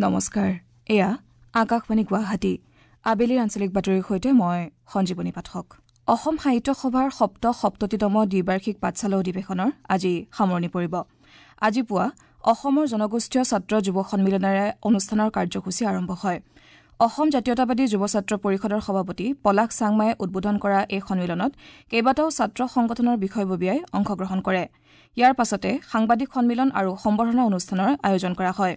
নমস্কাৰ, এয়া আকাশবাণী গুৱাহাটী। আবেলিৰ আঞ্চলিক বাতৰিৰ সৈতে মই সঞ্জীৱনী পাঠক। অসম সাহিত্য সভাৰ ৭৭তম দ্বিবাৰ্ষিক পাঠশালা অধিৱেশনৰ আজি সামৰণি পৰিব। আজি পুৱা অসমৰ জনগোষ্ঠীয় ছাত্ৰ যুৱ সন্মিলনেৰে অনুষ্ঠানৰ কাৰ্যসূচী আৰম্ভ হয়। অসম জাতীয়তাবাদী যুৱ ছাত্ৰ পৰিষদৰ সভাপতি পলাশ চাংমায়ে উদ্বোধন কৰা এই সন্মিলনত কেইবাটাও ছাত্ৰ সংগঠনৰ বিষয়ববীয়াই অংশগ্ৰহণ কৰে। ইয়াৰ পাছতে সাংবাদিক সন্মিলন আৰু সম্বৰ্ধনা অনুষ্ঠানৰ আয়োজন কৰা হয়।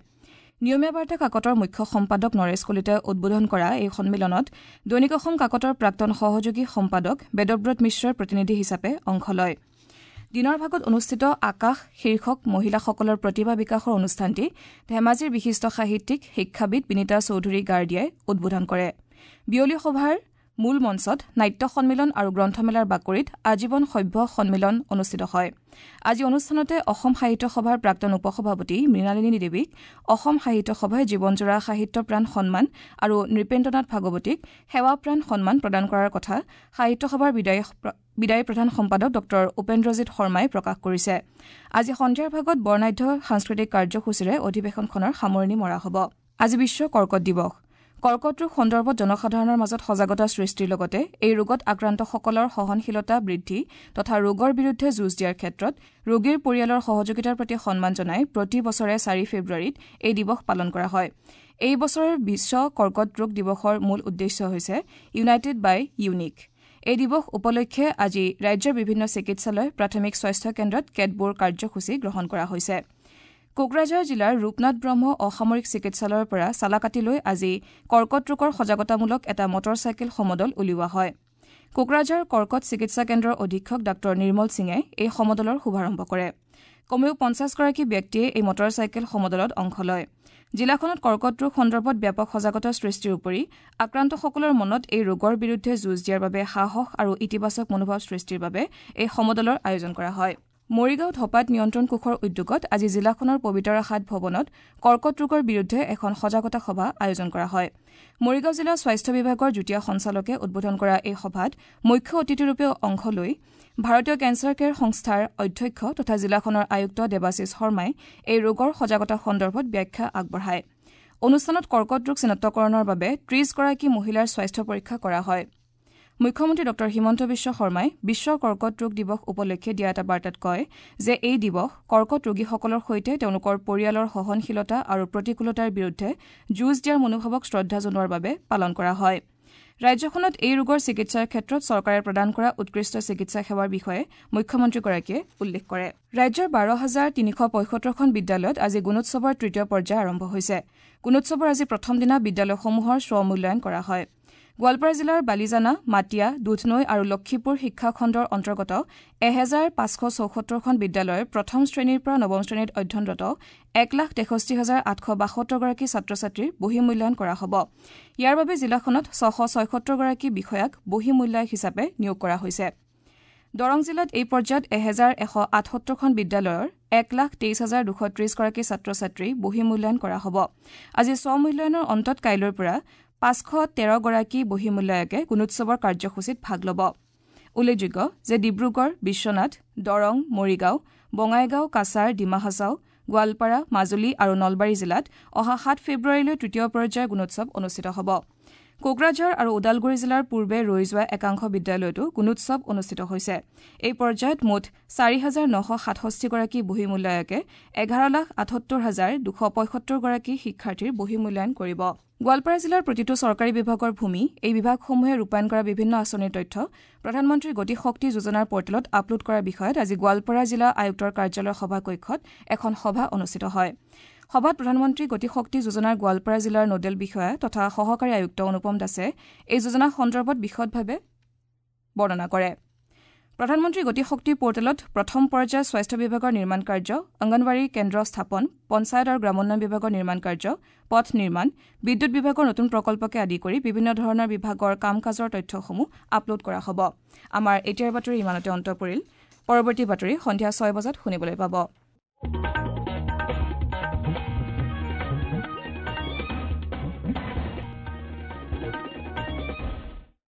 নিয়মীয়া বাৰ্তা কাকতৰ মুখ্য সম্পাদক নৰেশ কলিতাই উদ্বোধন কৰা এই সন্মিলনত দৈনিক অসম কাকতৰ প্ৰাক্তন সহযোগী সম্পাদক বেদব্ৰত মিশ্ৰই প্ৰতিনিধি হিচাপে অংশ লয়। দিনৰ ভাগত অনুষ্ঠিত আকাশ শীৰ্ষক মহিলাসকলৰ প্ৰতিভা বিকাশৰ অনুষ্ঠানটি ধেমাজিৰ বিশিষ্ট সাহিত্যিক শিক্ষাবিদ বিনীতা চৌধুৰী গাৰ্ডিয়াই উদ্বোধন কৰে। বিয়লি সভাৰ মূল মঞ্চত নাট্য সন্মিলন আৰু গ্ৰন্থমেলাৰ বাকৰিত আজীৱন সভ্য সন্মিলন অনুষ্ঠিত হয়। আজি অনুষ্ঠানতে অসম সাহিত্য সভাৰ প্ৰাক্তন উপসভাপতি মৃণালিনী দেৱীক অসম সাহিত্য সভাই জীৱনজোৰা সাহিত্যপ্ৰাণ সন্মান আৰু নৃপেন্দ্ৰনাথ ভাগৱতীক সেৱাপ্ৰাণ সন্মান প্ৰদান কৰাৰ কথা সাহিত্য সভাৰ বিদায়ী প্ৰধান সম্পাদক ডঃ উপেন্দ্ৰজিৎ শৰ্মাই প্ৰকাশ কৰিছে। আজি সন্ধিয়াৰ ভাগত বৰ্ণাঢ্য সাংস্কৃতিক কাৰ্যসূচীৰে অধিৱেশনখনৰ সামৰণি মৰা হ'ব। আজি বিশ্ব কৰ্কট দিৱস। কৰ্কট ৰোগ সন্দৰ্ভত জনসাধাৰণৰ মাজত সজাগতা সৃষ্টিৰ লগতে এই ৰোগত আক্ৰান্তসকলৰ সহনশীলতা বৃদ্ধি তথা ৰোগৰ বিৰুদ্ধে যুঁজ দিয়াৰ ক্ষেত্ৰত ৰোগীৰ পৰিয়ালৰ সহযোগিতাৰ প্ৰতি সন্মান জনাই প্ৰতি বছৰে ৪ ফেব্ৰুৱাৰীত এই দিৱস পালন কৰা হয়। এই বছৰৰ বিশ্ব কৰ্কট ৰোগ দিৱসৰ মূল উদ্দেশ্য হৈছে ইউনাইটেড বাই ইউনিক। এই দিৱস উপলক্ষে আজি ৰাজ্যৰ বিভিন্ন চিকিৎসালয়, প্ৰাথমিক স্বাস্থ্য কেন্দ্ৰত কেতবোৰ কাৰ্যসূচী গ্ৰহণ কৰা হৈছে। কোকৰাঝাৰ জিলাৰ ৰূপনাথ ব্ৰহ্ম অসামৰিক চিকিৎসালয়ৰ পৰা চালাকাটিলৈ আজি কৰ্কট ৰোগৰ সজাগতামূলক এটা মটৰ চাইকেল সমদল উলিওৱা হয়। কোকৰাঝাৰ কৰ্কট চিকিৎসা কেন্দ্ৰৰ অধীক্ষক ডাঃ নিৰ্মল সিঙে এই সমদলৰ শুভাৰম্ভ কৰে। কমেও ৫০গৰাকী ব্যক্তিয়ে এই মটৰ চাইকেল সমদলত অংশ লয়। জিলাখনত কৰ্কট ৰোগ সন্দৰ্ভত ব্যাপক সজাগতা সৃষ্টিৰ উপৰি আক্ৰান্তসকলৰ মনত এই ৰোগৰ বিৰুদ্ধে যুঁজ দিয়াৰ বাবে সাহস আৰু ইতিবাচক মনোভাৱ সৃষ্টিৰ বাবে এই সমদলৰ আয়োজন কৰা হয়। মৰিগাঁও ধপাত নিয়ন্ত্ৰণ কোষৰ উদ্যোগত আজি জিলাখনৰ পবিতৰা হাট ভৱনত কৰ্কট ৰোগৰ বিৰুদ্ধে এখন সজাগতা সভা আয়োজন কৰা হয়। মৰিগাঁও জিলা স্বাস্থ্য বিভাগৰ যুটীয়া সঞ্চালকে উদ্বোধন কৰা এই সভাত মুখ্য অতিথিৰূপে অংশ লৈ ভাৰতীয় কেঞ্চাৰ কেয়াৰ সংস্থাৰ অধ্যক্ষ তথা জিলাখনৰ আয়ুক্ত দেৱাশীষ শৰ্মাই এই ৰোগৰ সজাগতা সন্দৰ্ভত ব্যাখ্যা আগবঢ়ায়। অনুষ্ঠানত কৰ্কট ৰোগ চিনাক্তকৰণৰ বাবে ৩০গৰাকী মহিলাৰ স্বাস্থ্য পৰীক্ষা কৰা হয়। মুখ্যমন্ত্ৰী ডঃ হিমন্ত বিশ্ব শৰ্মাই বিশ্ব কৰ্কট ৰোগ দিৱস উপলক্ষে দিয়া এটা বাৰ্তাত কয় যে এই দিৱস কৰ্কট ৰোগীসকলৰ সৈতে তেওঁলোকৰ পৰিয়ালৰ সহনশীলতা আৰু প্ৰতিকূলতাৰ বিৰুদ্ধে যুঁজ দিয়াৰ মনোভাৱক শ্ৰদ্ধা জনোৱাৰ বাবে পালন কৰা হয়। ৰাজ্যখনত এই ৰোগৰ চিকিৎসাৰ ক্ষেত্ৰত চৰকাৰে প্ৰদান কৰা উৎকৃষ্ট চিকিৎসা সেৱাৰ বিষয়ে মুখ্যমন্ত্ৰীগৰাকীয়ে উল্লেখ কৰে। ৰাজ্যৰ ১২,৩৭৫খন বিদ্যালয়ত আজি গুণোৎসৱৰ তৃতীয় পৰ্যায় আৰম্ভ হৈছে। গুণোৎসৱৰ আজি প্ৰথম দিনা বিদ্যালয়সমূহৰ স্বমূল্যায়ন কৰা হয়। গোৱালপাৰা জিলাৰ বালিজানা, মাটিয়া, দুধনৈ আৰু লক্ষীপুৰ শিক্ষাখণ্ডৰ অন্তৰ্গত ১৫৭৪খন বিদ্যালয়ৰ প্ৰথম শ্ৰেণীৰ পৰা নৱম শ্ৰেণীত অধ্যয়নৰত ১,৬৩,৮৭২গৰাকী ছাত্ৰ ছাত্ৰীৰ বহিঃমূল্যায়ন কৰা হ'ব। ইয়াৰ বাবে জিলাখনত ৬৭৬গৰাকী বিষয়াক বহিঃমূল্যায়ক হিচাপে নিয়োগ কৰা হৈছে। দৰং জিলাত এই পৰ্যায়ত ১১৭৮খন বিদ্যালয়ৰ ১,২৩,২৩০গৰাকী ছাত্ৰ ছাত্ৰী বহিঃমূল্যায়ন কৰা হ'ব। আজি স্বমূল্যায়নৰ অন্তত কাইলৈৰ পৰা ৫১৩গৰাকী বহিঃমূল্যায়কে গুণোৎসৱৰ কাৰ্যসূচীত ভাগ ল'ব। উল্লেখযোগ্য যে ডিব্ৰুগড়, বিশ্বনাথ, দৰং, মৰিগাঁও, বঙাইগাঁও, কাছাৰ, ডিমা হাছাও, গোৱালপাৰা, মাজুলী আৰু নলবাৰী জিলাত অহা ৭ ফেব্ৰুৱাৰীলৈ তৃতীয় পৰ্যায়ৰ গুণোৎসৱ অনুষ্ঠিত হ'ব। কোকৰাঝাৰ আৰু ওদালগুৰি জিলাৰ পূৰ্বে ৰৈ যোৱা একাংশ বিদ্যালয়তো গুণোৎসৱ অনুষ্ঠিত হৈছে। এই পৰ্যায়ত মুঠ ৪,৯৬৭গৰাকী বহিঃমূল্যায়কে ১১,৭৮,২৭৫গৰাকী শিক্ষাৰ্থীৰ বহিঃমূল্যায়ন কৰিব। গোৱালপাৰা জিলাৰ প্ৰতিটো চৰকাৰী বিভাগৰ ভূমি, এই বিভাগসমূহে ৰূপায়ণ কৰা বিভিন্ন আঁচনিৰ তথ্য প্ৰধানমন্ত্ৰী গতিশক্তি যোজনাৰ পৰ্টেলত আপলোড কৰাৰ বিষয়ত আজি গোৱালপাৰা জিলা আয়ুক্তৰ কাৰ্যালয়ৰ সভাকক্ষত এখন সভা অনুষ্ঠিত হয়। সভাত প্ৰধানমন্ত্ৰী গতিশক্তি যোজনাৰ গোৱালপাৰা জিলাৰ নোডেল বিষয়া তথা সহকাৰী আয়ুক্ত অনুপম দাসে এই যোজনা সন্দৰ্ভত বিশদভাৱে বৰ্ণনা কৰে। প্ৰধানমন্ত্ৰী গতিশক্তি পৰ্টেলত প্ৰথম পৰ্যায়ৰ স্বাস্থ্য বিভাগৰ নিৰ্মাণ কাৰ্য, অংগনৱাড়ী কেন্দ্ৰ স্থাপন, পঞ্চায়ত আৰু গ্ৰামোন্নয়ন বিভাগৰ নিৰ্মাণ কাৰ্য, পথ নিৰ্মাণ, বিদ্যুৎ বিভাগৰ নতুন প্ৰকল্পকে আদি কৰি বিভিন্ন ধৰণৰ বিভাগৰ কাম কাজৰ তথ্যসমূহ আপলোড কৰা হ'ব। আমাৰ এতিয়াৰ বাতৰি ইমানতে অন্ত পৰিল। পৰৱৰ্তী বাতৰি সন্ধিয়া ৬ বজাত শুনিবলৈ পাব।